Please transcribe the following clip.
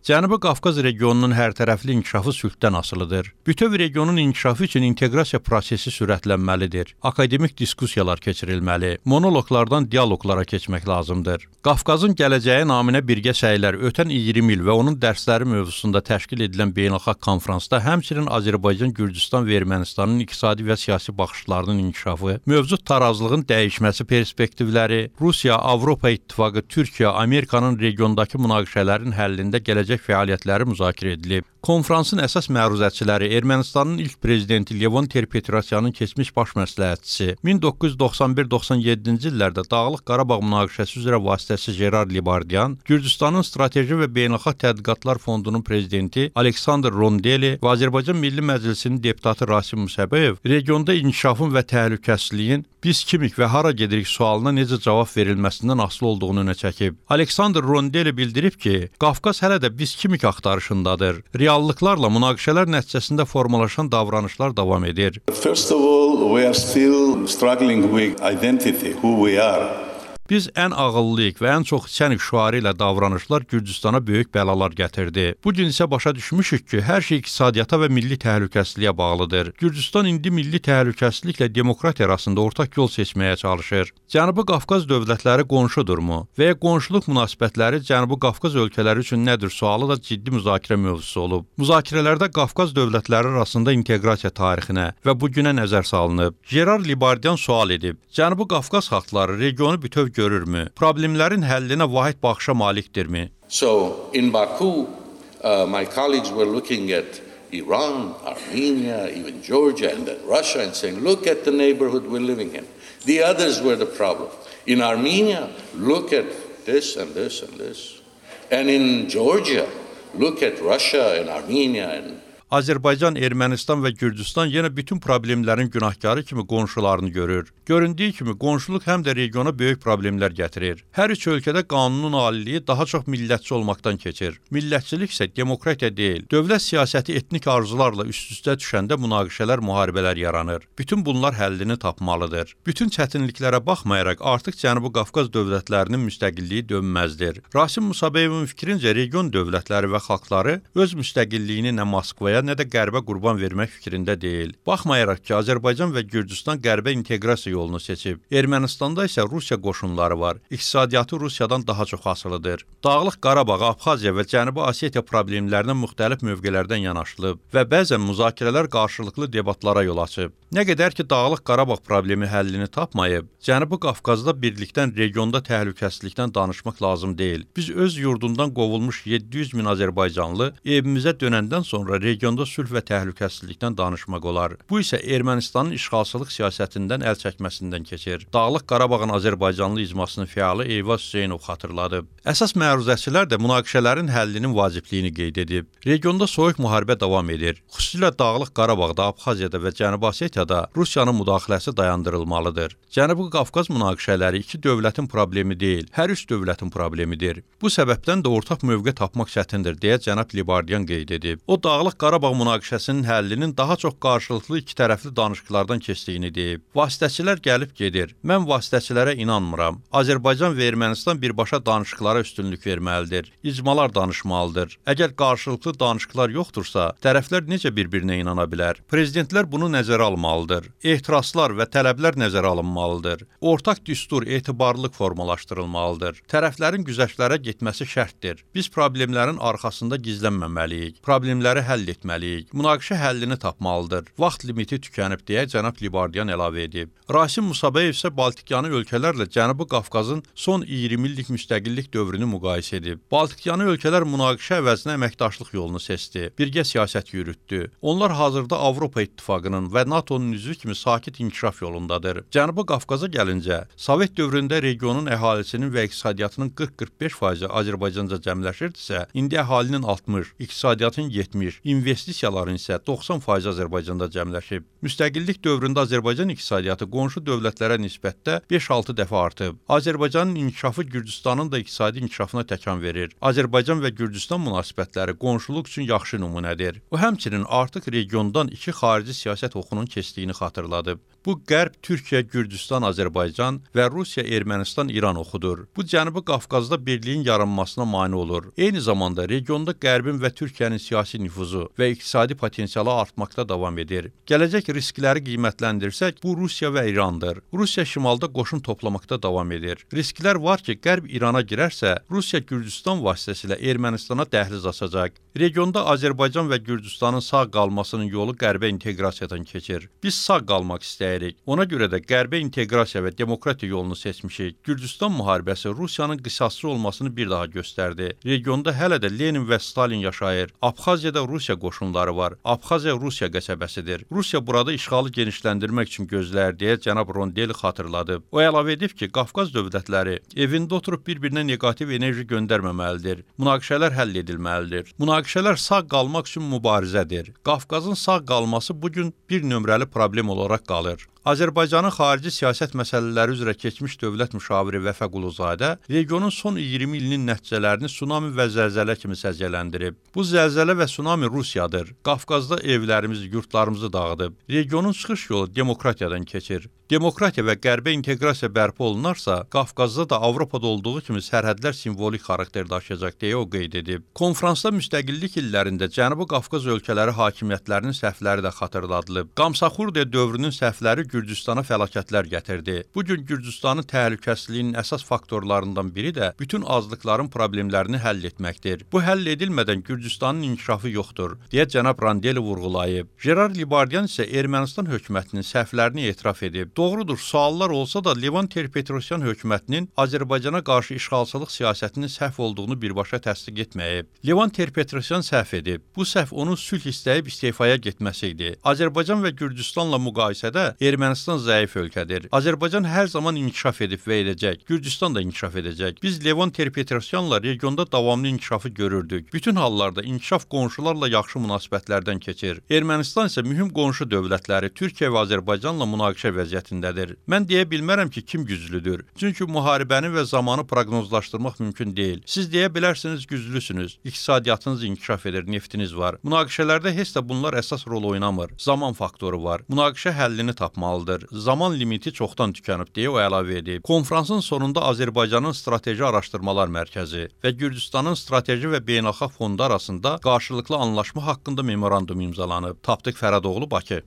Cənubi Qafqaz regionunun hərtərəfli inkişafı sülhdən asılıdır. Bütöv regionun inkişafı üçün inteqrasiya prosesi sürətlənməlidir. Akademik diskussiyalar keçirilməli, monoloqlardan dialoqlara keçmək lazımdır. Qafqazın gələcəyi naminə birgə səylər ötən 20 il və onun dərsləri mövzusunda təşkil edilən beynəlxalq konfransda həmçinin Azərbaycan, Gürcüstan və Ermənistanın iqtisadi və siyasi baxışlarının inkişafı, mövcud tarazlığın dəyişməsi perspektivləri, Rusiya, Avropa İttifaqı, Türkiyə, Amerikanın regiondakı münaqişələrin həllində gələcək fəaliyyətləri müzakirə edilib. Konfransın əsas məruzəçiləri Ermənistanın ilk prezidenti Levon Ter-Petrosyanın keçmiş baş məsləhətçisi, 1991-97-ci illərdə Dağlıq Qarabağ münaqişəsi üzrə vasitəçi Jerar Libardian, Gürcüstanın Strateji və Beynəlxalq Tədqiqatlar Fondunun prezidenti Aleksandr Rondeli və Azərbaycan Milli Məclisinin deputatı Rasim Musəbəyev regionda inkişafın və təhlükəsizliyin biz kimik və hara gedirik sualına necə cavab verilməsindən asılı olduğunu önə çəkib. Aleksandr Rondeli bildirib ki, Qafqaz hələ də biz kimik axtarışındadır. Reallıqlarla münaqişələr nəticəsində formalaşan davranışlar davam edir. First of all, we are still struggling with identity, who we are. Biz ən ağıllıyıq və ən çox içənik şüarı ilə davranışlar Gürcüstana böyük bəlalar gətirdi. Bu gün isə başa düşmüşük ki, hər şey iqtisadiyyata və milli təhlükəsizliyə bağlıdır. Gürcüstan indi milli təhlükəsizliklə demokratiya arasında ortaq yol seçməyə çalışır. Cənubi Qafqaz dövlətləri qonşudurmu? Və ya qonşuluq münasibətləri Cənubi Qafqaz ölkələri üçün nədir sualı da ciddi müzakirə mövzusu olub. Müzakirələrdə Qafqaz dövlətləri arasında inteqrasiya tarixinə və bu günə nəzər salınıb. Jerar Libardian sual edib: Cənubi Qafqaz xalqları regionu bütöv görürmü? Problemlərin həllinə vahid baxışa malikdirmi? So in Baku, my colleagues were looking at Iran, Armenia, even Georgia and then Russia and saying, look at the neighborhood we're living in. The others were the problem. In Armenia, look at this and this and this. And in Georgia, look at Russia and Armenia and Azərbaycan, Ermənistan və Gürcüstan yenə bütün problemlərin günahkarı kimi qonşularını görür. Göründüyü kimi qonşuluq həm də regiona böyük problemlər gətirir. Hər üç ölkədə qanunun aliliyi daha çox millətçi olmaqdan keçir. Millətçilik isə demokratiya deyil. Dövlət siyasəti etnik arzularla üst-üstə düşəndə münaqişələr, müharibələr yaranır. Bütün bunlar həllini tapmalıdır. Bütün çətinliklərə baxmayaraq artıq Cənubi Qafqaz dövlətlərinin müstəqilliyi dönməzdir. Rasim Musabeyevin fikrincə region dövlətləri və xalqları öz müstəqilliyini nə Moskvaya nə də qərbə qurban vermək fikrində deyil. Baxmayaraq ki, Azərbaycan və Gürcüstan qərbə inteqrasiya yolunu seçib. Ermənistanda isə Rusiya qoşunları var. İqtisadiyyatı Rusiyadan daha çox asılıdır. Dağlıq Qarabağ, Abxaziya və Cənubi Osetiya problemlərinə müxtəlif mövqelərdən yanaşılıb və bəzən müzakirələr qarşılıqlı debatlara yol açıb. Nə qədər ki, Dağlıq Qarabağ problemi həllini tapmayıb, Cənubi Qafqazda birlikdən regionda təhlükəsizlikdən danışmaq lazım deyil. Biz öz yurdundan qovulmuş 700 min Azərbaycanlı evimizə dönəndən sonra regionda sülh və təhlükəsizlikdən danışmaq olar. Bu isə Ermənistanın işğalçılıq siyasətindən əl çəkməsindən keçir. Dağlıq Qarabağın Azərbaycanlı icmasının fəalı Eyvaz Hüseynov xatırladıb. Əsas məruzəçilər də münaqişələrin həllinin vacibliyini qeyd edib. Regionda soyuq müharibə davam edir. Xüsusilə Dağlıq Qarabağda, Abxaziyada və Cənubi Osetiyada Rusiyanın müdaxiləsi dayandırılmalıdır. Cənubi Qafqaz münaqişələri iki dövlətin problemi deyil, hər üç dövlətin problemidir. Bu səbəbdən də ortaq mövqe tapmaq çətindir, deyə cənab Libardian qeyd edib. O, Dağlıq Qarabağ münaqişəsinin həllinin daha çox qarşılıqlı iki tərəfli danışıqlardan keçdiyini deyib. Vasitəçilər gəlib gedir. Mən vasitəçilərə inanmıram. Azərbaycan və Ermənistan birbaşa danışıqlara üstünlük verməlidir. İcmalar danışmalıdır. Əgər qarşılıqlı danışıqlar yoxdursa, tərəflər necə bir-birinə inana bilər? Prezidentlər bunu nəzərə almalıdır. Ehtiraslar və tələblər nəzərə alınmalıdır. Ortaq düstur, etibarlılıq formalaşdırılmalıdır. Tərəflərin güzəştlərə getməsi şərtdir. Biz problemlərin arxasında gizlənməməliyik. Problemləri həll etməliyik. Münaqişə həllini tapmalıdır. Vaxt limiti tükənib deyə cənab Libardian əlavə edib. Rasim Musabeyev isə Baltikyanı ölkələrlə Cənubi Qafqazın son 20 illik müstəqillik dövrünü müqayisə edib. Baltikyanı ölkələr münaqişə əvəzinə əməkdaşlıq yolunu seçdi. Birgə siyasət yürütdü. Onlar hazırda Avropa İttifaqının və NATO'nun üzvü kimi sakit inkişaf yolundadır. Cənubi Qafqaza gəlincə, Sovet dövründə regionun əhalisinin və iqtisadiyyatının 40-45% Azərbaycanca cəmləşirdisə, indi əhalinin 60, iqtisadiyyatın 70, investisiya investisiyaların isə 90% Azərbaycanda cəmləşib. Müstəqillik dövründə Azərbaycan iqtisadiyyatı qonşu dövlətlərə nisbətdə 5-6 dəfə artıb. Azərbaycanın inkişafı Gürcüstanın da iqtisadi inkişafına təkan verir. Azərbaycan və Gürcüstan münasibətləri qonşuluq üçün yaxşı nümunədir. O həmçinin artıq regiondan iki xarici siyasət oxunun keçdiyini xatırladıb. Bu Qərb, Türkiyə, Gürcüstan, Azərbaycan və Rusiya, Ermənistan, İran oxudur. Bu Cənubi Qafqazda birliyin yaranmasına mane olur. Eyni zamanda regionda Qərbin və Türkiyənin siyasi nüfuzu və iqtisadi potensialı artmaqda davam edir. Gələcək riskləri qiymətləndirsək, bu Rusiya və İrandır. Rusiya şimalda qoşun toplamaqda davam edir. Risklər var ki, Qərb İrana girərsə, Rusiya Gürcüstan vasitəsilə Ermənistana dəhliz açacaq. Regionda Azərbaycan və Gürcüstanın sağ qalmasının yolu Qərbə inteqrasiyadan keçir. Biz sağ qalmaq istəyirik. Ona görə də Qərbə inteqrasiya və demokratiya yolunu seçmişik. Gürcüstan müharibəsi Rusiyanın qisasçı olmasını bir daha göstərdi. Regionda hələ də Lenin və Stalin yaşayır. Abxaziyada Rusiya qoşunları var. Abxaziya Rusiya qəsəbəsidir. Rusiya burada işğalı genişləndirmək üçün gözləyir deyə cənab Rondeli xatırladı. O əlavə edib ki, Qafqaz dövlətləri evində oturub bir-birinə neqativ enerji göndərməməlidir. Münaqişələr həll edilməlidir. Münaqişələr sağ qalmaq üçün mübarizədir. Qafqazın sağ qalması bugün bir nömrəli problem olaraq qalır. Azərbaycanın xarici siyasət məsələləri üzrə keçmiş dövlət müşaviri Vəfa Quluzadə regionun son 20 ilinin nəticələrini tsunami və zəlzələ kimi səciyyələndirib. Bu zəlzələ və tsunami Rusiyadır. Qafqazda evlərimizi, yurtlarımızı dağıdıb. Regionun çıxış yolu demokratiyadan keçir. Demokratiya və qərbə inteqrasiya bərpa olunarsa, Qafqazda da Avropada olduğu kimi sərhədlər simvolik xarakter daşıyacaq deyə o qeyd edib. Konfransda müstəqillik illərində Cənubi Qafqaz ölkələri hakimiyyətlərinin səhvləri də xatırladılıb. Qamsaxurdiya dövrünün səhvləri Gürcüstana fəlakətlər gətirdi. Bugün Gürcüstanın təhlükəsizliyinin əsas faktorlarından biri də bütün azlıqların problemlərini həll etməkdir. Bu həll edilmədən Gürcüstanın inkişafı yoxdur, deyə cənab Randeli vurğulayıb. Gerard Libardian isə Ermənistan hökumətinin səhvlərini etiraf edib. Doğrudur, suallar olsa da Levan Ter-Petrosyan hökumətinin Azərbaycana qarşı işğalçılıq siyasətinin səhv olduğunu birbaşa təsdiq etməyib. Levan Ter-Petrosyan səhv edib. Bu səhv onun sülh istəyib istefaya getməsi idi. Azərbaycan və Gürcüstanla müqayisədə Ermənistan zəif ölkədir. Azərbaycan hər zaman inkişaf edib və edəcək. Gürcüstan da inkişaf edəcək. Biz Levan Ter-Petrosyanla regionda davamlı inkişafı görürdük. Bütün hallarda inkişaf qonşularla yaxşı münasibətlərdən keçir. Ermənistan isə mühüm qonşu dövlətləri Türkiyə və Azərbaycanla münaqişə vəziyyətindədir. Mən deyə bilmərəm ki, kim güclüdür. Çünki müharibəni və zamanı proqnozlaşdırmaq mümkün deyil. Siz deyə bilərsiniz güclüsünüz. İqtisadiyyatınız inkişaf edir, neftiniz var. Münaqişələrdə heç də bunlar əsas rol oynamır. Zaman faktoru var. Münaqişə həllini tapmalıdır. Zaman limiti çoxdan tükənib deyə o əlavə edib. Konfransın sonunda Azərbaycanın Strateji Araşdırmalar Mərkəzi və Gürcüstanın Strateji və Beynəlxalq Fondu arasında qarşılıqlı anlaşma haqqında memorandum imzalanıb. Tapdıq Fərədoğlu, Bakı.